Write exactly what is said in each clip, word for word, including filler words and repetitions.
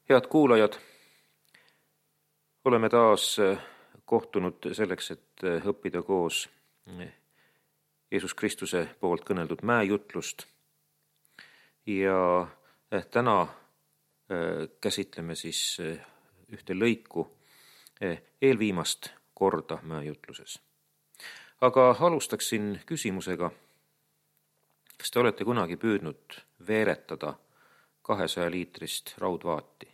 Head kuulajad, oleme taas kohtunud selleks, et õppida koos Jeesus Kristuse poolt kõneldud mäejutlust. Ja täna käsitleme siis ühte lõiku eelviimast korda mäejutluses. Aga alustaksin küsimusega, kas te olete kunagi püüdnud veeretada kahesaja liitrist raudvaati?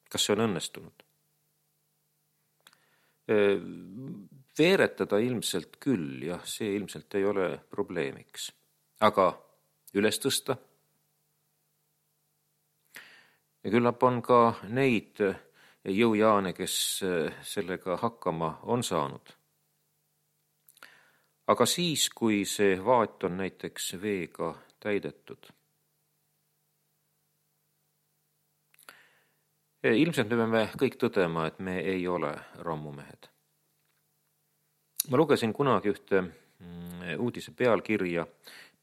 Kas see on õnnestunud? Veeretada ilmselt küll, jah, see ilmselt ei ole probleemiks. Aga üles tõsta? Ja küllap on ka neid jõujaane, kes sellega hakkama on saanud. Aga siis, kui see vaat on näiteks veega täidetud, ilmselt me peame kõik tõdema, et me ei ole rammumehed. Ma lugesin kunagi ühte uudise pealkirja,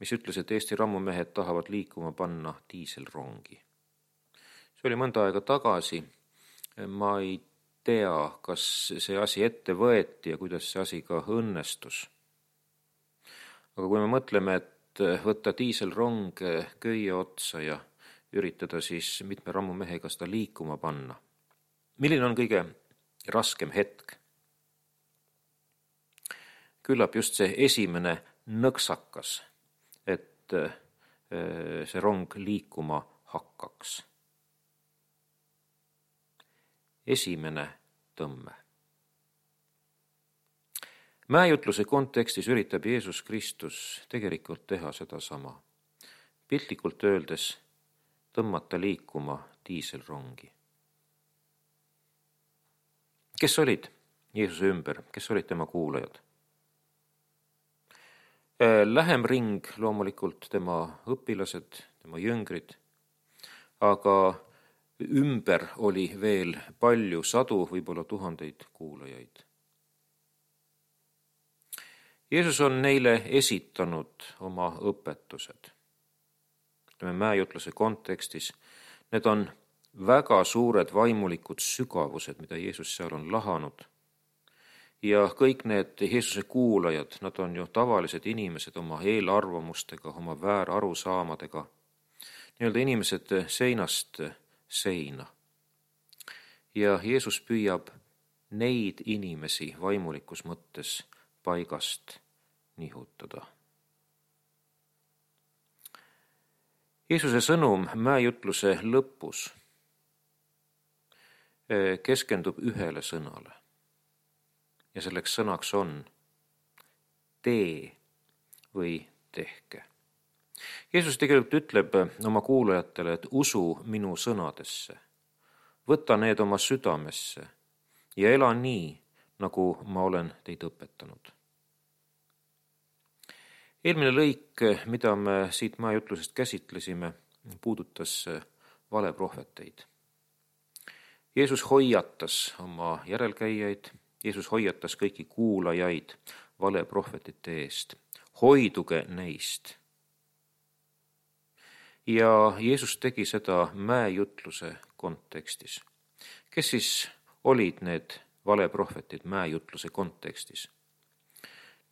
mis ütles, et Eesti rammumehed tahavad liikuma panna diiselrongi. See oli mõnda aega tagasi. Ma ei tea, kas see asi ette võeti ja kuidas see asi ka õnnestus. Aga kui me mõtleme, et võtta diiselrong köie otsa ja üritada siis mitme rammumehega seda liikuma panna. Milline on kõige raskem hetk? Küllap just see esimene nõksakas, et see rong liikuma hakkaks. Esimene tõmme. Mäejutluse kontekstis üritab Jeesus Kristus tegelikult teha seda sama. Piltlikult öeldes tõmmata liikuma diiselrongi. Kes olid Jeesuse ümber? Kes olid tema kuulajad? Lähem ring loomulikult tema õpilased, tema jüngrid, aga ümber oli veel palju, sadu, võib-olla tuhandeid kuulajaid. Jeesus on neile esitanud oma õpetused. Mäejutluse kontekstis, need on väga suured vaimulikud sügavused, mida Jeesus seal on lahanud. Ja kõik need Jeesuse kuulajad, nad on ju tavalised inimesed oma eelarvamustega, oma väärarusaamadega, nii-öelda inimesed seinast seina. Ja Jeesus püüab neid inimesi vaimulikus mõttes paigast nihutada. Jeesuse sõnum mäejutluse lõpus keskendub ühele sõnale. Ja selleks sõnaks on tee või tehke. Jeesus tegelikult ütleb oma kuulajatele, et usu minu sõnadesse. Võta need oma südamesse ja ela nii, nagu ma olen teid õpetanud. Eelmine lõik, mida me siit mäejutlusest käsitlesime, puudutas valeprohveteid. Jeesus hoiatas oma järelkäijaid, Jeesus hoiatas kõiki kuulajaid valeprohvetite eest. Hoiduge neist. Ja Jeesus tegi seda mäejutluse kontekstis. Kes siis olid need valeprohvetid mäejutluse kontekstis?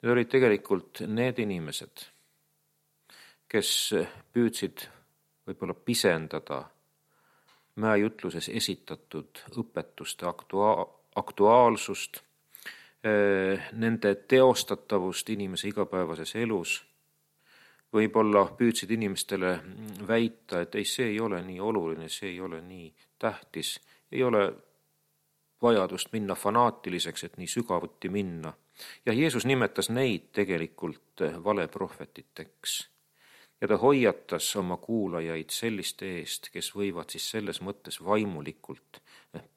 Need olid tegelikult need inimesed, kes püüdsid võib-olla pisendada mäejutluses esitatud õpetuste aktua- aktuaalsust, nende teostatavust inimese igapäevases elus. Võib-olla püüdsid inimestele väita, et ei, see ei ole nii oluline, see ei ole nii tähtis, ei ole vajadust minna fanaatiliseks, et nii sügavuti minna. Ja Jeesus nimetas neid tegelikult valeprohvetiteks. Ja ta hoiatas oma kuulajaid selliste eest, kes võivad siis selles mõttes vaimulikult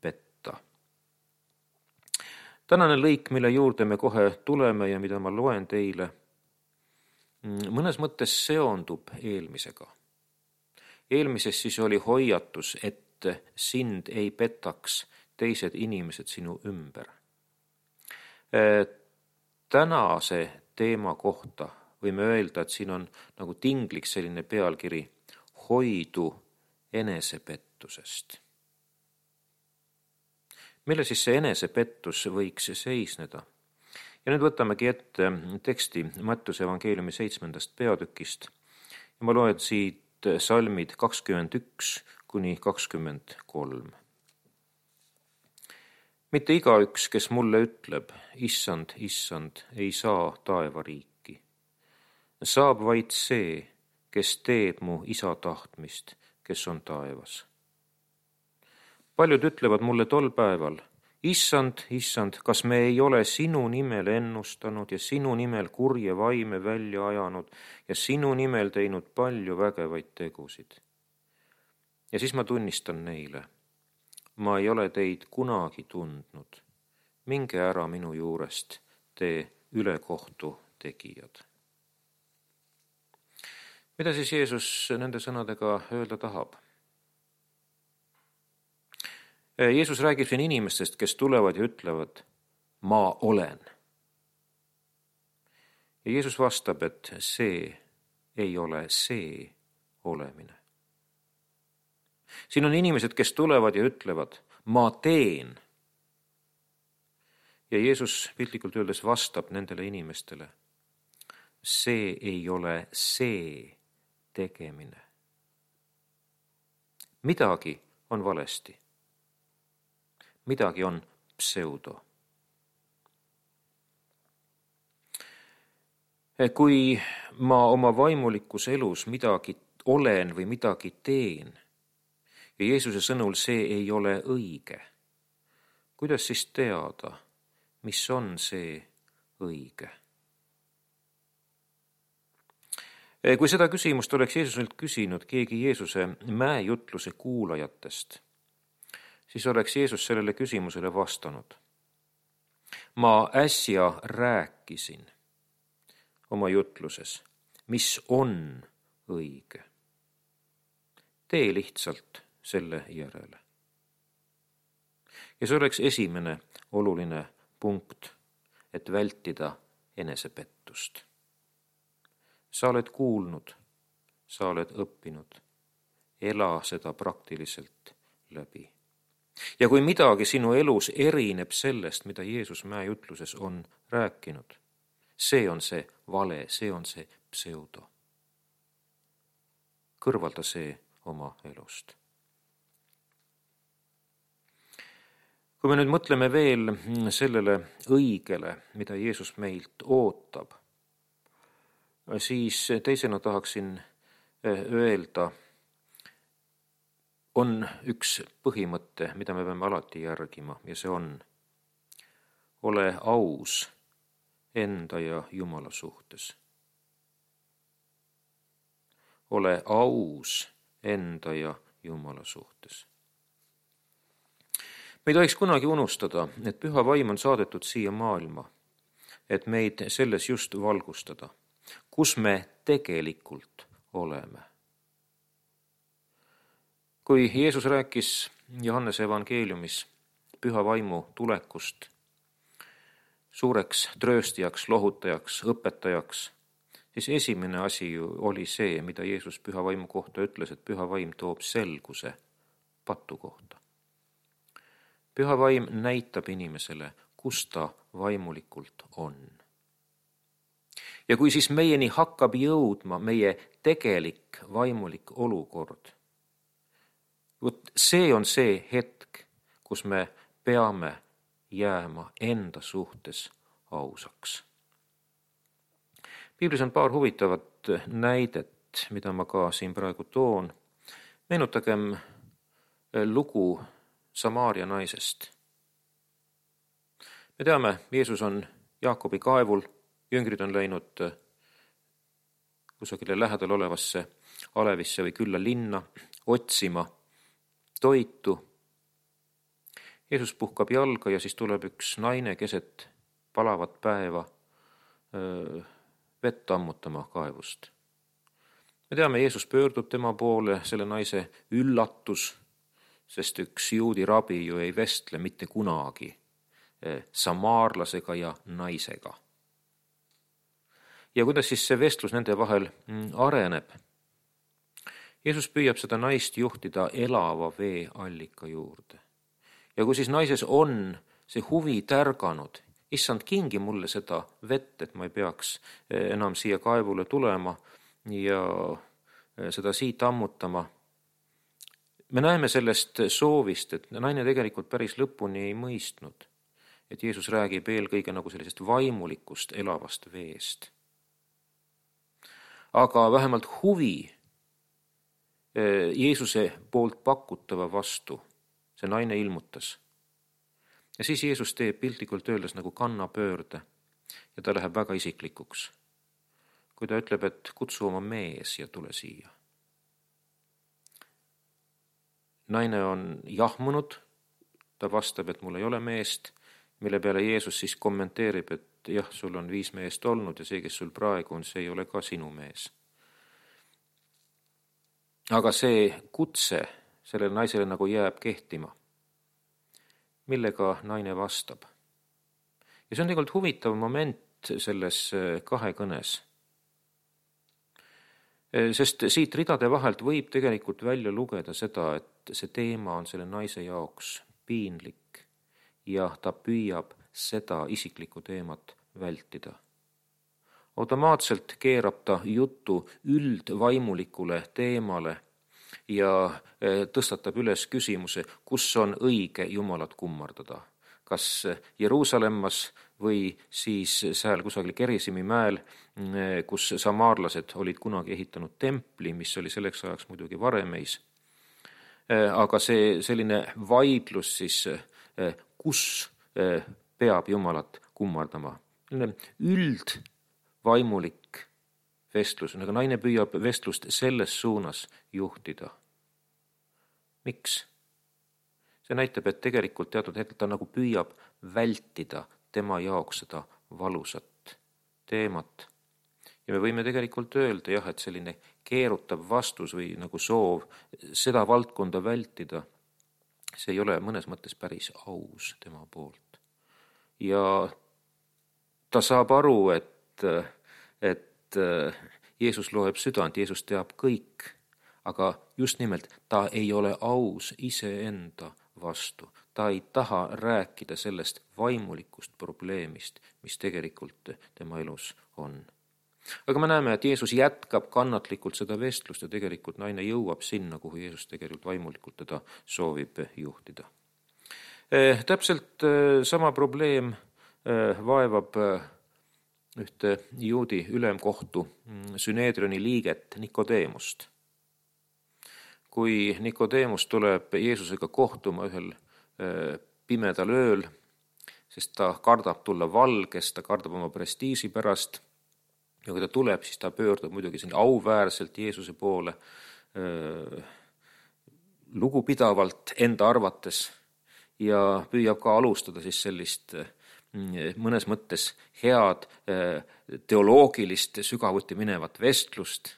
petta. Tänane lõik, mille juurde me kohe tuleme ja mida ma loen teile, mõnes mõttes seondub eelmisega. Eelmises siis oli hoiatus, et sind ei petaks teised inimesed sinu ümber. Tänase teema kohta võime öelda, et siin on nagu tingliks selline pealkiri hoidu enesepettusest. Mille siis see enesepettus võiks seisneda? Ja nüüd võtamegi ette teksti Mattiuse evangeeliumi seitsmendast peatükist ja ma loen siit salmid kakskümmend üks kuni kakskümmend kolm. Mitte igaüks, kes mulle ütleb, issand, issand, ei saa taevariiki. Saab vaid see, kes teeb mu isa tahtmist, kes on taevas. Paljud ütlevad mulle tol päeval, issand, issand, kas me ei ole sinu nimel ennustanud ja sinu nimel kurje vaime välja ajanud ja sinu nimel teinud palju vägevaid tegusid. Ja siis ma tunnistan neile, ma ei ole teid kunagi tundnud. Minge ära minu juurest, te ülekohtu tegijad. Mida siis Jeesus nende sõnadega öelda tahab? Jeesus räägib siin inimestest, kes tulevad ja ütlevad, ma olen. Ja Jeesus vastab, et see ei ole see olemine. Siin on inimesed, kes tulevad ja ütlevad, ma teen. Ja Jeesus piltlikult öeldes vastab nendele inimestele, see ei ole see tegemine. Midagi on valesti. Midagi on pseudo. Kui ma oma vaimulikus elus midagi olen või midagi teen ja Jeesuse sõnul see ei ole õige, kuidas siis teada, mis on see õige? Kui seda küsimust oleks Jeesuselt küsinud keegi Jeesuse mäejutluse kuulajatest, siis oleks Jeesus sellele küsimusele vastanud. Ma äsja rääkisin oma jutluses, mis on õige. Tee lihtsalt selle järele. Ja see oleks esimene oluline punkt, et vältida enesepettust. Sa oled kuulnud, sa oled õppinud, ela seda praktiliselt läbi. Ja kui midagi sinu elus erineb sellest, mida Jeesus mäejutluses on rääkinud, see on see vale, see on see pseudo. Kõrvalda see oma elust. Kui me nüüd mõtleme veel sellele õigele, mida Jeesus meilt ootab, siis teisena tahaksin öelda, on üks põhimõte, mida me peame alati järgima ja see on, ole aus enda ja Jumala suhtes. Ole aus enda ja Jumala suhtes. Me ei tohiks kunagi unustada, et püha vaim on saadetud siia maailma, et meid selles just valgustada, kus me tegelikult oleme. Kui Jeesus rääkis Johannese evangeeliumis püha vaimu tulekust suureks trööstijaks, lohutajaks, õpetajaks, siis esimene asi ju oli see, mida Jeesus püha vaimu kohta ütles, et püha vaim toob selguse patu kohta. Püha vaim näitab inimesele, kus ta vaimulikult on. Ja kui siis meieni hakkab jõudma meie tegelik vaimulik olukord, Võt, see on see hetk, kus me peame jääma enda suhtes ausaks. Piiblis on paar huvitavat näidet, mida ma ka siin praegu toon. Meenutagem lugu Samaaria naisest. Me teame, Jeesus on Jaakobi kaevul, jüngrid on läinud kusagile lähedal olevasse alevisse või külla linna otsima toitu. Jeesus puhkab jalga ja siis tuleb üks naine keset palavat päeva öö, vett ammutama kaevust. Me teame, Jeesus pöördub tema poole, selle naise üllatus, sest üks juudi rabi ju ei vestle mitte kunagi samaarlasega ja naisega. Ja kuidas siis see vestlus nende vahel areneb? Jeesus püüab seda naist juhtida elava vee allika juurde. Ja kui siis naises on see huvi tärganud, issand, kingi mulle seda vett, et ma ei peaks enam siia kaevule tulema ja seda siit ammutama. Me näeme sellest soovist, et naine tegelikult päris lõpuni ei mõistnud, et Jeesus räägib eelkõige nagu sellisest vaimulikust elavast veest. Aga vähemalt huvi Jeesuse poolt pakutava vastu see naine ilmutas. Ja siis Jeesus teeb piltlikult öeldes nagu kannapöörde ja ta läheb väga isiklikuks. Kui ta ütleb, et kutsu oma mees ja tule siia. Naine on jahmunud, ta vastab, et mul ei ole meest, mille peale Jeesus siis kommenteerib, et jah, sul on viis meest olnud ja see, kes sul praegu on, see ei ole ka sinu mees. Aga see kutse sellele naisele nagu jääb kehtima, millega naine vastab. Ja see on tegelikult huvitav moment selles kahe kõnes. Sest siit ridade vahelt võib tegelikult välja lugeda seda, et see teema on selle naise jaoks piinlik ja ta püüab seda isiklikku teemat vältida. Automaatselt keerab ta jutu üldvaimulikule teemale ja tõstatab üles küsimuse, kus on õige Jumalat kummardada. Kas Jeruusalemmas või siis seal kusagil Gerisimi mäel, kus samaarlased olid kunagi ehitanud templi, mis oli selleks ajaks muidugi Varemeis. Aga see selline vaidlus siis, kus peab Jumalat kummardama. Üldvaimulik vestlus, aga naine püüab vestlust selles suunas juhtida. Miks? See näitab, et tegelikult teatud hetkel ta nagu püüab vältida tema jaoks seda valusat teemat. Ja me võime tegelikult öelda, jah, et selline keerutav vastus või nagu soov seda valdkonda vältida, see ei ole mõnes mõttes päris aus tema poolt. Ja ta saab aru, et, et Jeesus loeb südant, Jeesus teab kõik, aga just nimelt ta ei ole aus iseenda vastu. Ta ei taha rääkida sellest vaimulikust probleemist, mis tegelikult tema elus on. Aga me näeme, et Jeesus jätkab kannatlikult seda vestlust ja tegelikult naine jõuab sinna, kuhu Jeesus tegelikult vaimulikult teda soovib juhtida. Eh, täpselt eh, sama probleem eh, vaevab eh, ühte juudi ülemkohtu Süneedrioni liiget Nikodeemust. Kui Nikodeemus tuleb Jeesusega kohtuma ühel pimedal ööl, sest ta kardab tulla valges, ta kardab oma prestiisi pärast ja kui ta tuleb, siis ta pöördub muidugi siin auväärselt Jeesuse poole, lugupidavalt enda arvates ja püüab ka alustada siis sellist mõnes mõttes head teoloogilist sügavuti minevat vestlust.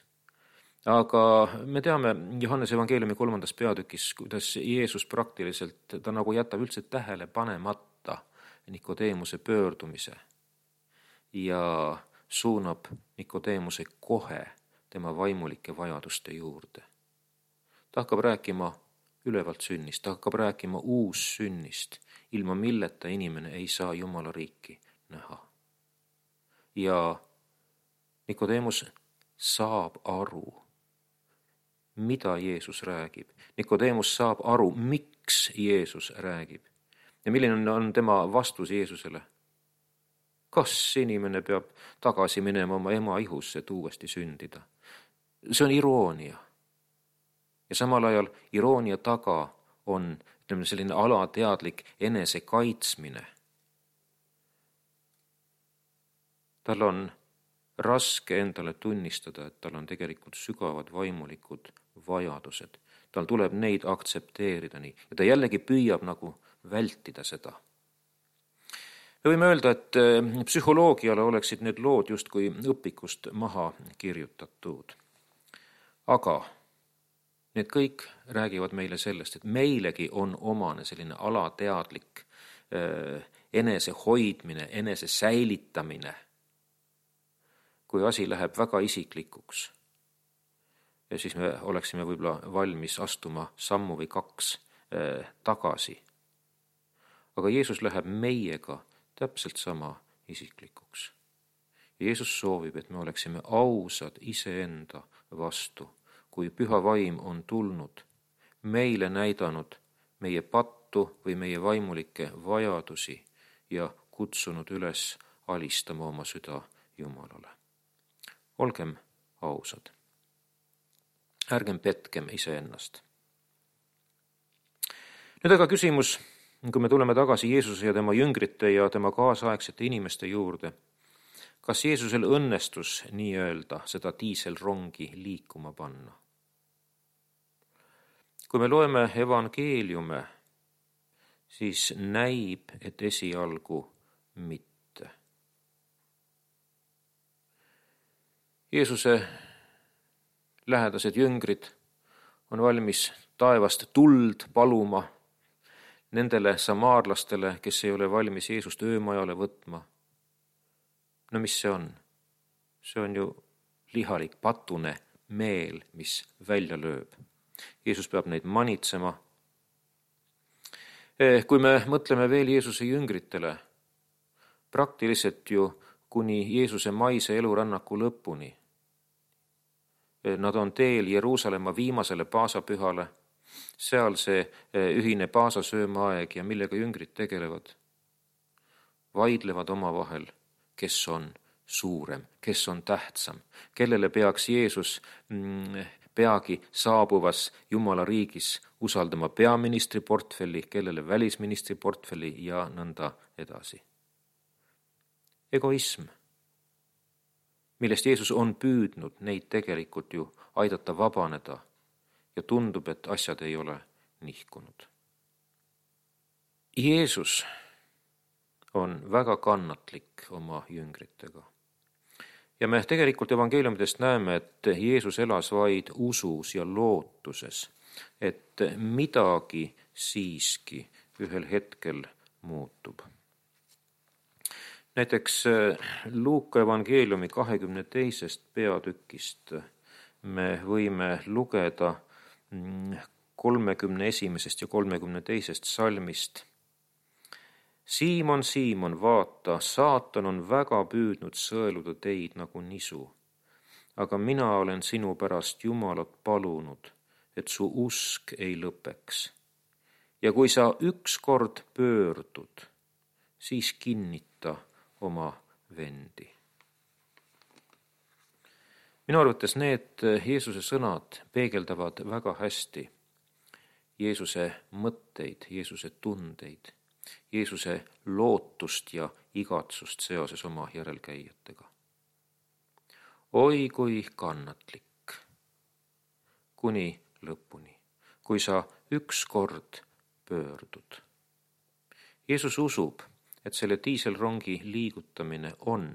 Aga me teame Johannese evangeeliumi kolmandas peatükis, kuidas Jeesus praktiliselt, ta nagu jätab üldse tähele panemata Nikodeemuse pöördumise ja suunab Nikodeemuse kohe tema vaimulike vajaduste juurde. Ta hakkab rääkima ülevalt sünnist, ta hakkab rääkima uus sünnist, ilma milleta inimene ei saa Jumala riiki näha. Ja Nikodeemus saab aru, mida Jeesus räägib. Nikodeemus saab aru, miks Jeesus räägib. Ja milline on tema vastus Jeesusele? Kas inimene peab tagasi minema oma ema ihusse, et uuesti sündida? See on iroonia. Ja samal ajal iroonia taga on ütleme, selline alateadlik enese kaitsmine. Tal on raske endale tunnistada, et tal on tegelikult sügavad vaimulikud vajadused. Tal tuleb neid aktsepteerida nii. Ja ta jällegi püüab nagu vältida seda. Me võime öelda, et psühholoogiale oleksid need lood justkui õpikust maha kirjutatud. Aga need kõik räägivad meile sellest, et meilegi on omane selline alateadlik enese hoidmine, enese säilitamine, kui asi läheb väga isiklikuks. ja siis me oleksime võib-olla valmis astuma sammu või kaks äh, tagasi. Aga Jeesus läheb meiega täpselt sama isiklikuks. Jeesus soovib, et me oleksime ausad iseenda vastu, kui püha vaim on tulnud, meile näidanud meie pattu või meie vaimulikke vajadusi ja kutsunud üles alistama oma süda Jumalale. Olgem ausad. Ärgem petkem iseennast. Nüüd aga küsimus, kui me tuleme tagasi Jeesuse ja tema jüngrite ja tema kaasaegsete inimeste juurde, kas Jeesusel õnnestus nii-öelda seda diiselrongi liikuma panna? Kui me loeme evangeeliume, siis näib, et esialgu mitte. Jeesuse lähedased jüngrid on valmis taevast tuld paluma nendele samaarlastele, kes ei ole valmis Jeesust öömajale võtma. No mis see on? See on ju lihalik, patune meel, mis välja lööb. Jeesus peab neid manitsema. Kui me mõtleme veel Jeesuse jüngritele, praktiliselt ju kuni Jeesuse maise elurännaku lõpuni. Nad on teel Jeruusalemma viimasele paasapühale, seal see ühine paasasöömaaeg ja millega jüngrid tegelevad. Vaidlevad omavahel, kes on suurem, kes on tähtsam, kellele peaks Jeesus peagi saabuvas Jumala riigis usaldama peaministri portfelli, kellele välisministri portfelli ja nõnda edasi. Egoism, millest Jeesus on püüdnud neid tegelikult ju aidata vabaneda ja tundub, et asjad ei ole nihkunud. Jeesus on väga kannatlik oma jüngritega. Ja me tegelikult evangeeliumidest näeme, et Jeesus elas vaid usus ja lootuses, et midagi siiski ühel hetkel muutub. Näiteks Luuka evangeeliumi kahekümne teisest peatükist me võime lugeda kolmekümne esimesest ja kolmekümne teisest salmist. Siimon, Siimon, vaata, saatan on väga püüdnud sõeluda teid nagu nisu, aga mina olen sinu pärast Jumalat palunud, et su usk ei lõpeks. Ja kui sa ükskord pöördud, siis kinnita oma vendi. Minu arvates need Jeesuse sõnad peegeldavad väga hästi Jeesuse mõtteid, Jeesuse tundeid, Jeesuse lootust ja igatsust seoses oma järelkäijatega. Oi kui kannatlik, kuni lõpuni, kui sa ükskord pöördud. Jeesus usub, et selle diiselrongi liigutamine on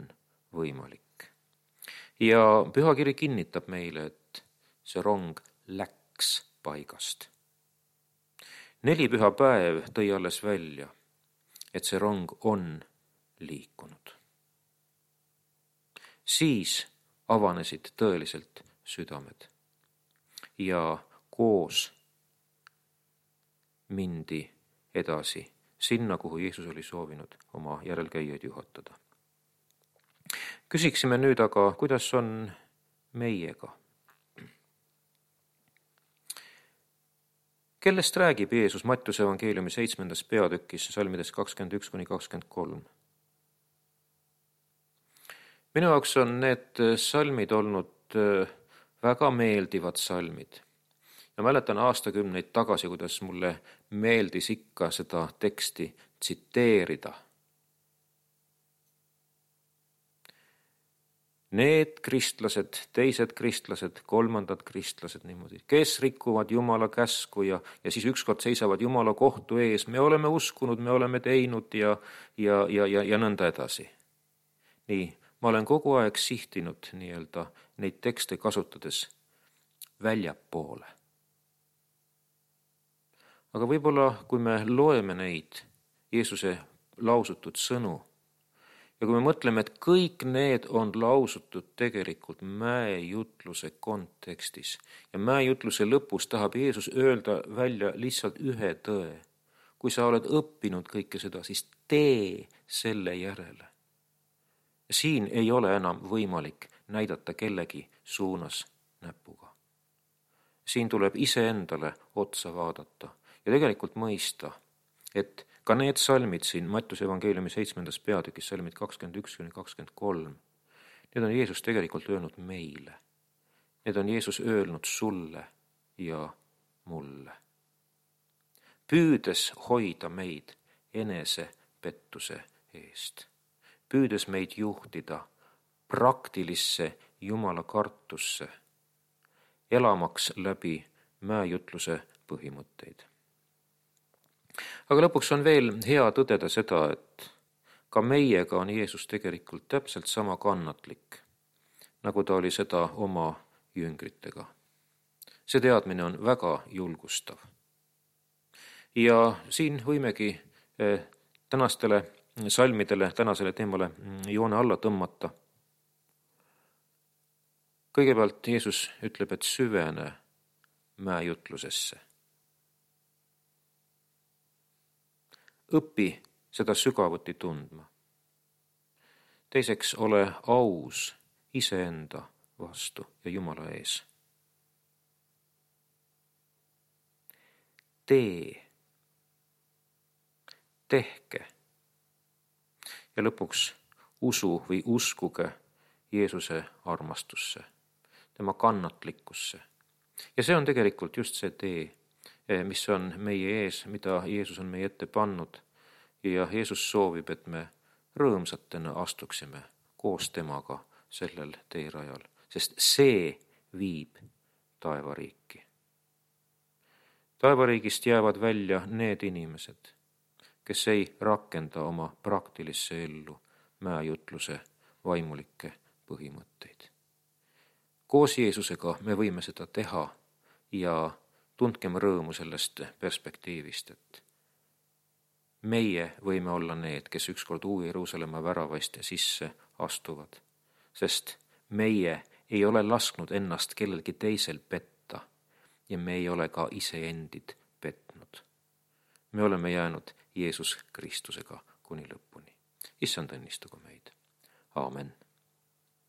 võimalik. Ja pühakiri kinnitab meile, et see rong läks paigast. Neli püha päev tõi alles välja, et see rong on liikunud. Siis avanesid tõeliselt südamed ja koos mindi edasi sinna, kuhu Jeesus oli soovinud oma järelkäijaid juhatada. Küsiksime nüüd aga, kuidas on meiega? Kellest räägib Jeesus Mattiuse evangeeliumi seitsmendas peatükis salmides kakskümmend üks kuni kakskümmend kolm? Minu jaoks on need salmid olnud väga meeldivad salmid. Ja mäletan aastakümneid tagasi, kuidas mulle meeldis ikka seda teksti tsiteerida. Need kristlased, teised kristlased, kolmandad kristlased niimoodi, kes rikuvad Jumala käsku ja, ja siis ükskord seisavad Jumala kohtu ees. Me oleme uskunud, me oleme teinud ja, ja, ja, ja, ja nõnda edasi. Nii, ma olen kogu aeg sihtinud nii-öelda neid tekste kasutades väljapoole. Aga võib-olla, kui me loeme neid Jeesuse lausutud sõnu Ja kui me mõtleme, et kõik need on lausutud tegelikult mäejutluse kontekstis ja mäejutluse lõpus tahab Jeesus öelda välja lihtsalt ühe tõe. Kui sa oled õppinud kõike seda, siis tee selle järele. Siin ei ole enam võimalik näidata kellegi suunas näpuga. Siin tuleb iseendale otsa vaadata ja tegelikult mõista, et ka need salmid siin Mattuse evangeeliumi seitsmendas peatükis, salmid kakskümmend üks kuni kakskümmend kolm, need on Jeesus tegelikult öelnud meile. Need on Jeesus öelnud sulle ja mulle. Püüdes hoida meid enese pettuse eest. Püüdes meid juhtida praktilisse Jumala kartusse, elamaks läbi mäejutluse põhimõtteid. Aga lõpuks on veel hea tõdeda seda, et ka meiega on Jeesus tegelikult täpselt sama kannatlik, nagu ta oli seda oma jüngritega. See teadmine on väga julgustav. Ja siin võimegi tänastele salmidele, tänasele teemale joone alla tõmmata. Kõigepealt Jeesus ütleb, et süvene mäejutlusesse. Õpi seda sügavuti tundma. Teiseks, ole aus iseenda vastu ja Jumala ees. Tee. Tehke. Ja lõpuks usu või uskuge Jeesuse armastusse, tema kannatlikkusse. Ja see on tegelikult just see tee, mis on meie ees, mida Jeesus on meie ette pannud. Ja Jeesus soovib, et me rõõmsatena astuksime koos temaga sellel teerajal, sest see viib taevariiki. Taevariigist jäävad välja need inimesed, kes ei rakenda oma praktilisse ellu mäejutluse vaimulikke põhimõtteid. Koos Jeesusega me võime seda teha ja tundkem rõõmu sellest perspektiivist, et meie võime olla need, kes ükskord Uue Jeruusalemma väravaist sisse astuvad, sest meie ei ole lasknud ennast kellelgi teisel petta ja me ei ole ka iseendid petnud. Me oleme jäänud Jeesus Kristusega kuni lõpuni. Issand õnnistagu meid. Aamen.